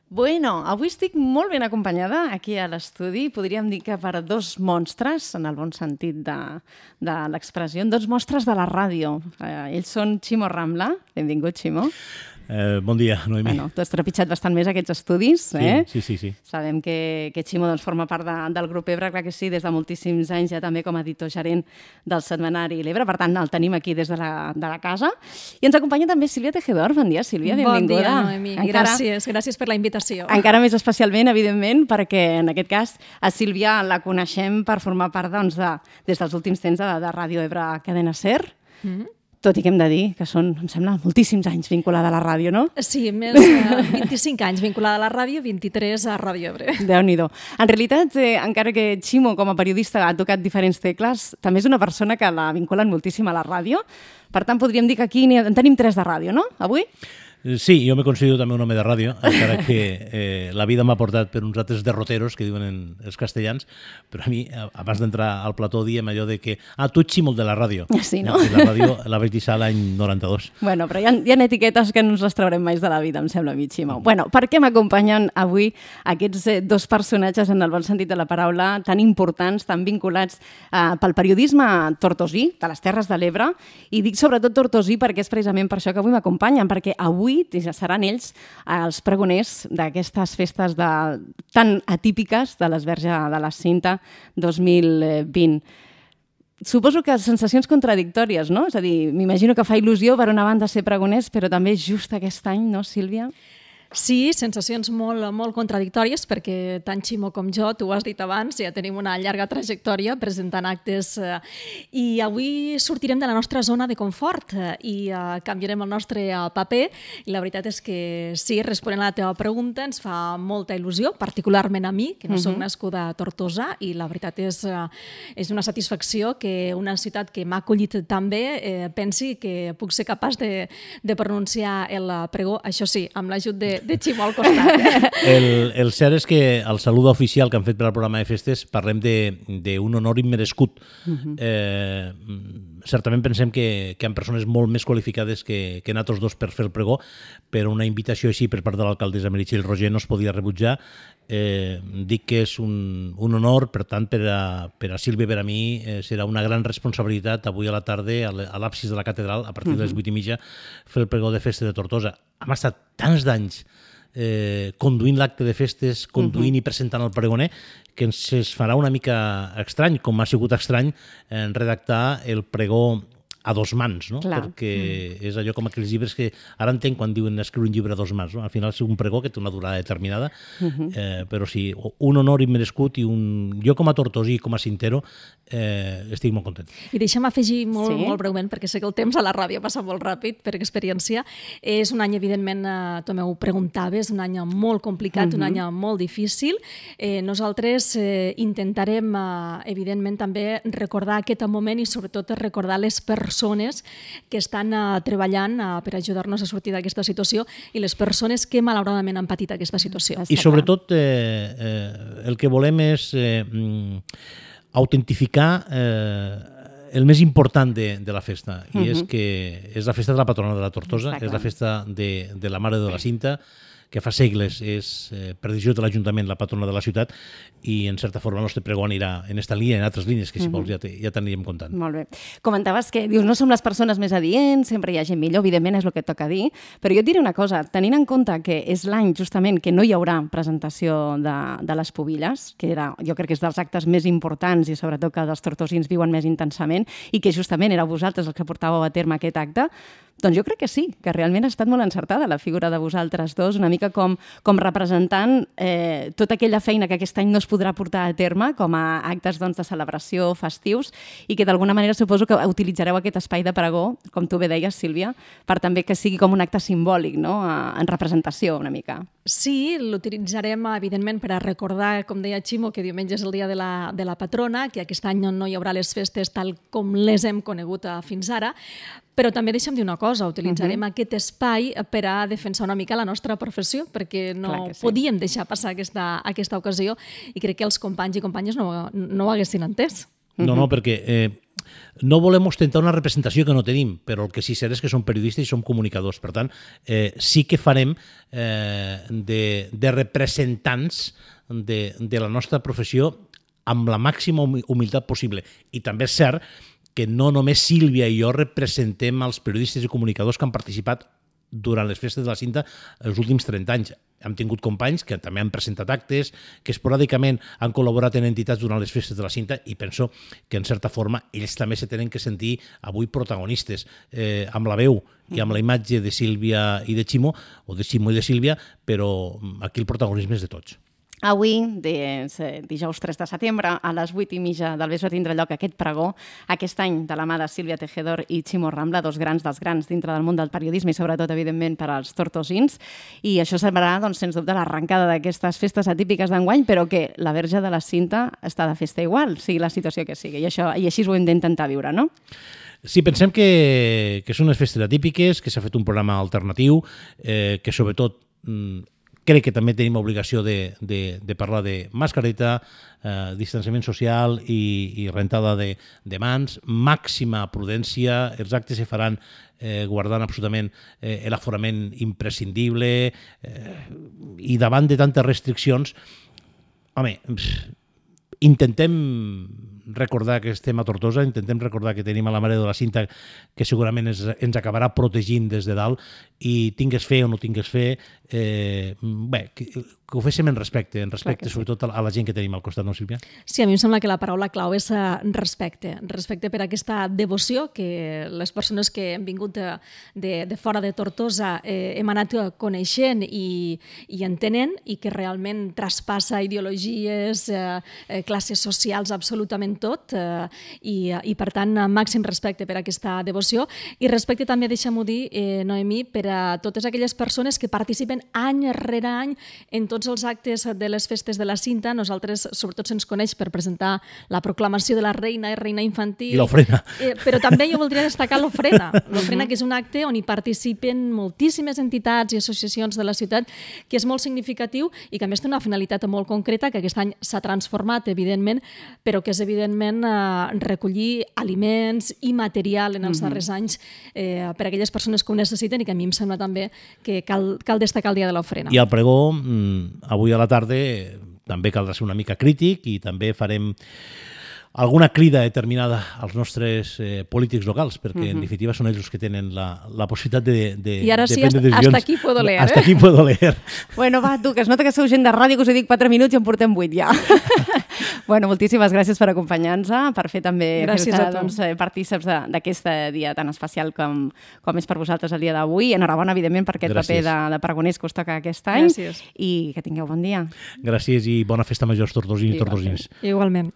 Bueno, avui estic molt ben acompanyada aquí a l'estudi. Podríem dir que per dos monstres, en el bon sentit de l'expressió, dos monstres de la ràdio. Ells són Ximo Rambla. Benvingut, Ximo. Bon dia, Noemí. Bueno, tu has trepitjat bastant més aquests estudis, eh? Sí. Sabem que Ximo forma part del grup Ebre, clar que sí, des de moltíssims anys, ja també com a editor gerent del setmanari L'Ebre. Per tant, el tenim aquí des de la casa. I ens acompanya també Sílvia Tejedor. Bon dia, Sílvia, benvinguda. Bon dia, Noemí. Gràcies per la invitació. Encara més especialment, evidentment, perquè en aquest cas a Sílvia la coneixem per formar part, des dels últims temps de Ràdio Ebre Cadena SER. Tot i que hem de dir que són, em sembla, moltíssims anys vinculada a la ràdio, no? Sí, més de 25 anys vinculada a la ràdio, 23 a Ràdio Ebre. Déu-n'hi-do. En realitat, encara que Ximo, com a periodista, ha tocat diferents tecles, també és una persona que la vinculen moltíssim a la ràdio. Per tant, podríem dir que aquí en tenim 3 de ràdio, no? Avui? Sí, jo me considero també un home de ràdio, encara que la vida m'ha portat per uns altres derroteros, que diuen els castellans, però a mi, abans d'entrar al plató, diem allò de que tu ets Ximo de la ràdio. Sí, no? I la ràdio la vaig deixar l'any 92. Bueno, però hi ha etiquetes que no ens les traurem mai de la vida, em sembla a mi, Ximo. Bueno, per què m'acompanyen avui aquests dos personatges, en el bon sentit de la paraula, tan importants, tan vinculats pel periodisme tortosí, de les Terres de l'Ebre, i dic sobretot tortosí perquè és precisament per això que avui m'acompanyen, perquè avui ja seran ells els pregoners d'aquestes festes tan atípiques de l'Esverge de la Cinta 2020. Suposo que sensacions contradictòries, no? És a dir, m'imagino que fa il·lusió per una banda ser pregoners, però també just aquest any, no, Sílvia? Sí, sensacions molt contradictòries, perquè tant Ximo com jo, tu ho has dit abans, ja tenim una llarga trajectòria presentant actes i avui sortirem de la nostra zona de confort i canviarem el nostre paper. I la veritat és que sí, responent a la teva pregunta, ens fa molta il·lusió, particularment a mi, que no soc nascuda a Tortosa, i la veritat és una satisfacció que una ciutat que m'ha acollit tan bé pensi que puc ser capaç de pronunciar el pregó, això sí, amb l'ajut de Ximo al costat. El cert és que al salut oficial que han fet per al programa de festes parlem d'un honor immerescut. Certament pensem que hi ha persones molt més qualificades que nosaltres dos per fer el pregó, però una invitació així per part de l'alcaldessa Meritxell Roger no es podia rebutjar. Dic que és un honor, per tant, per a Sílvia i per a mi serà una gran responsabilitat avui a la tarda a l'absis de la catedral, a partir de les 8:30, fer el pregó de festa de Tortosa. Hem estat tants d'anys conduint l'acte de festes, conduint i presentant el pregoner, que ens farà una mica estrany, com ha sigut estrany redactar el pregó a dos mans, no? Clar. Perquè és allò com aquells llibres que ara entenc quan diuen escriure un llibre a dos mans, no? Al final és un pregó que té una durada determinada, però sí, un honor immerescut i jo com a tortosí i com a cintero estic molt content. I deixa'm afegir molt breument, perquè sé que el temps a la ràdio passa molt ràpid per experiència. És un any, evidentment, tu m'ho preguntaves, un any molt complicat, un any molt difícil. Nosaltres intentarem, evidentment, també recordar aquest moment i sobretot recordar les persones que estan treballant per ajudar-nos a sortir d'aquesta situació i les persones que malauradament han patit aquesta situació. I sobretot el que volem és autentificar el més important de la festa, i és que és la festa de la patrona de la Tortosa, és la festa de la Mare de la Cinta, que fa segles és, per decisió de l'Ajuntament, la patrona de la ciutat, i en certa forma el nostre pregó anirà en esta línia, en altres línies, que si vols ja t'aniríem comptant. Molt bé. Comentaves que dius, no som les persones més adients, sempre hi ha gent millor, evidentment és el que et toca dir, però jo et diré una cosa, tenint en compte que és l'any justament que no hi haurà presentació de les pubilles, que jo crec que és dels actes més importants i sobretot que els tortosins viuen més intensament, i que justament éreu vosaltres els que portàveu a terme aquest acte, doncs jo crec que sí, que realment ha estat molt encertada la figura de vosaltres dos, una mica com representant tota aquella feina que aquest any no es podrà portar a terme com a actes de celebració, festius, i que d'alguna manera suposo que utilitzareu aquest espai de pregó, com tu bé deies, Sílvia, per també que sigui com un acte simbòlic, no? En representació una mica. Sí, l'utilitzarem, evidentment, per a recordar, com deia Ximo, que diumenge és el dia de la patrona, que aquest any no hi haurà les festes tal com les hem conegut fins ara, però també deixa'm dir una cosa, utilitzarem aquest espai per a defensar una mica la nostra professió, perquè no podíem deixar passar aquesta ocasió i crec que els companys i companyes no ho haguessin entès. No, perquè no volem ostentar una representació que no tenim, però el que sí cert és que som periodistes i som comunicadors. Per tant, sí que farem de representants de la nostra professió amb la màxima humilitat possible. I també és cert que no només Sílvia i jo representem els periodistes i comunicadors que han participat durant les festes de la Cinta els últims 30 anys. Hem tingut companys que també han presentat actes, que esporàdicament han col·laborat en entitats durant les festes de la Cinta i penso que, en certa forma, ells també se tenen que sentir avui protagonistes amb la veu i amb la imatge de Sílvia i de Ximo, o de Ximo i de Sílvia, però aquí el protagonisme és de tots. Avui, dijous 3 de setembre, a les 8:30 del vespre tindrà lloc aquest pregó, aquest any de la mà de Sílvia Tejedor i Ximo Rambla, dos grans dels grans dintre del món del periodisme i sobretot, evidentment, per als tortosins. I això serà, doncs, sens dubte, l'arrencada d'aquestes festes atípiques d'enguany, però que la Verge de la Cinta està de festa igual, sigui la situació que sigui. I així ho hem d'intentar viure, no? Sí, pensem que són unes festes atípiques, que s'ha fet un programa alternatiu, que sobretot crec que també tenim obligació de parlar de mascareta, distanciament social i rentada de mans, màxima prudència, els actes se faran guardant absolutament l'aforament imprescindible i davant de tantes restriccions, home, intentem recordar que estem a Tortosa, intentem recordar que tenim a la Mare de la Cinta que segurament ens acabarà protegint des de dalt i tingues fe o no tingues fe, que ho féssim en respecte sobretot a la gent que tenim al costat, no, Sílvia? Sí, a mi em sembla que la paraula clau és respecte. Respecte per aquesta devoció que les persones que hem vingut de fora de Tortosa hem anat coneixent i entenent i que realment traspassa ideologies, classes socials, absolutament tot, i per tant, màxim respecte per aquesta devoció i respecte també, deixa'm-ho dir, Noemí, per a totes aquelles persones que participen any rere any en tots els actes de les festes de la Cinta. Nosaltres, sobretot, se'ns coneix per presentar la proclamació de la reina i reina infantil. I l'ofrena. Però també jo voldria destacar l'ofrena. L'ofrena, que és un acte on hi participen moltíssimes entitats i associacions de la ciutat, que és molt significatiu i que a més té una finalitat molt concreta, que aquest any s'ha transformat, evidentment, però que és, evidentment, recollir aliments i material en els darrers anys per a aquelles persones que ho necessiten i que a mi em sembla també que cal destacar el dia de l'ofrena. I al pregó, avui a la tarda, també caldrà ser una mica crític i també farem alguna crida determinada als nostres polítics locals, perquè en definitiva són ells els que tenen la possibilitat de I ara sí, prendre decisions. hasta aquí puedo leer. Hasta aquí puedo leer. Bueno, va, tu, que es nota que sou gent de ràdio, que us he dit 4 minuts i en portem 8 ja. Bueno, moltíssimes gràcies per acompanyar-nos, per fer també partíceps d'aquest dia tan especial com és per vosaltres el dia d'avui. Enhorabona, evidentment, per aquest paper de pregoners que us toca aquest any. Gràcies. I que tingueu bon dia. Gràcies i bona festa major als tortosins i tortosins. Igualment.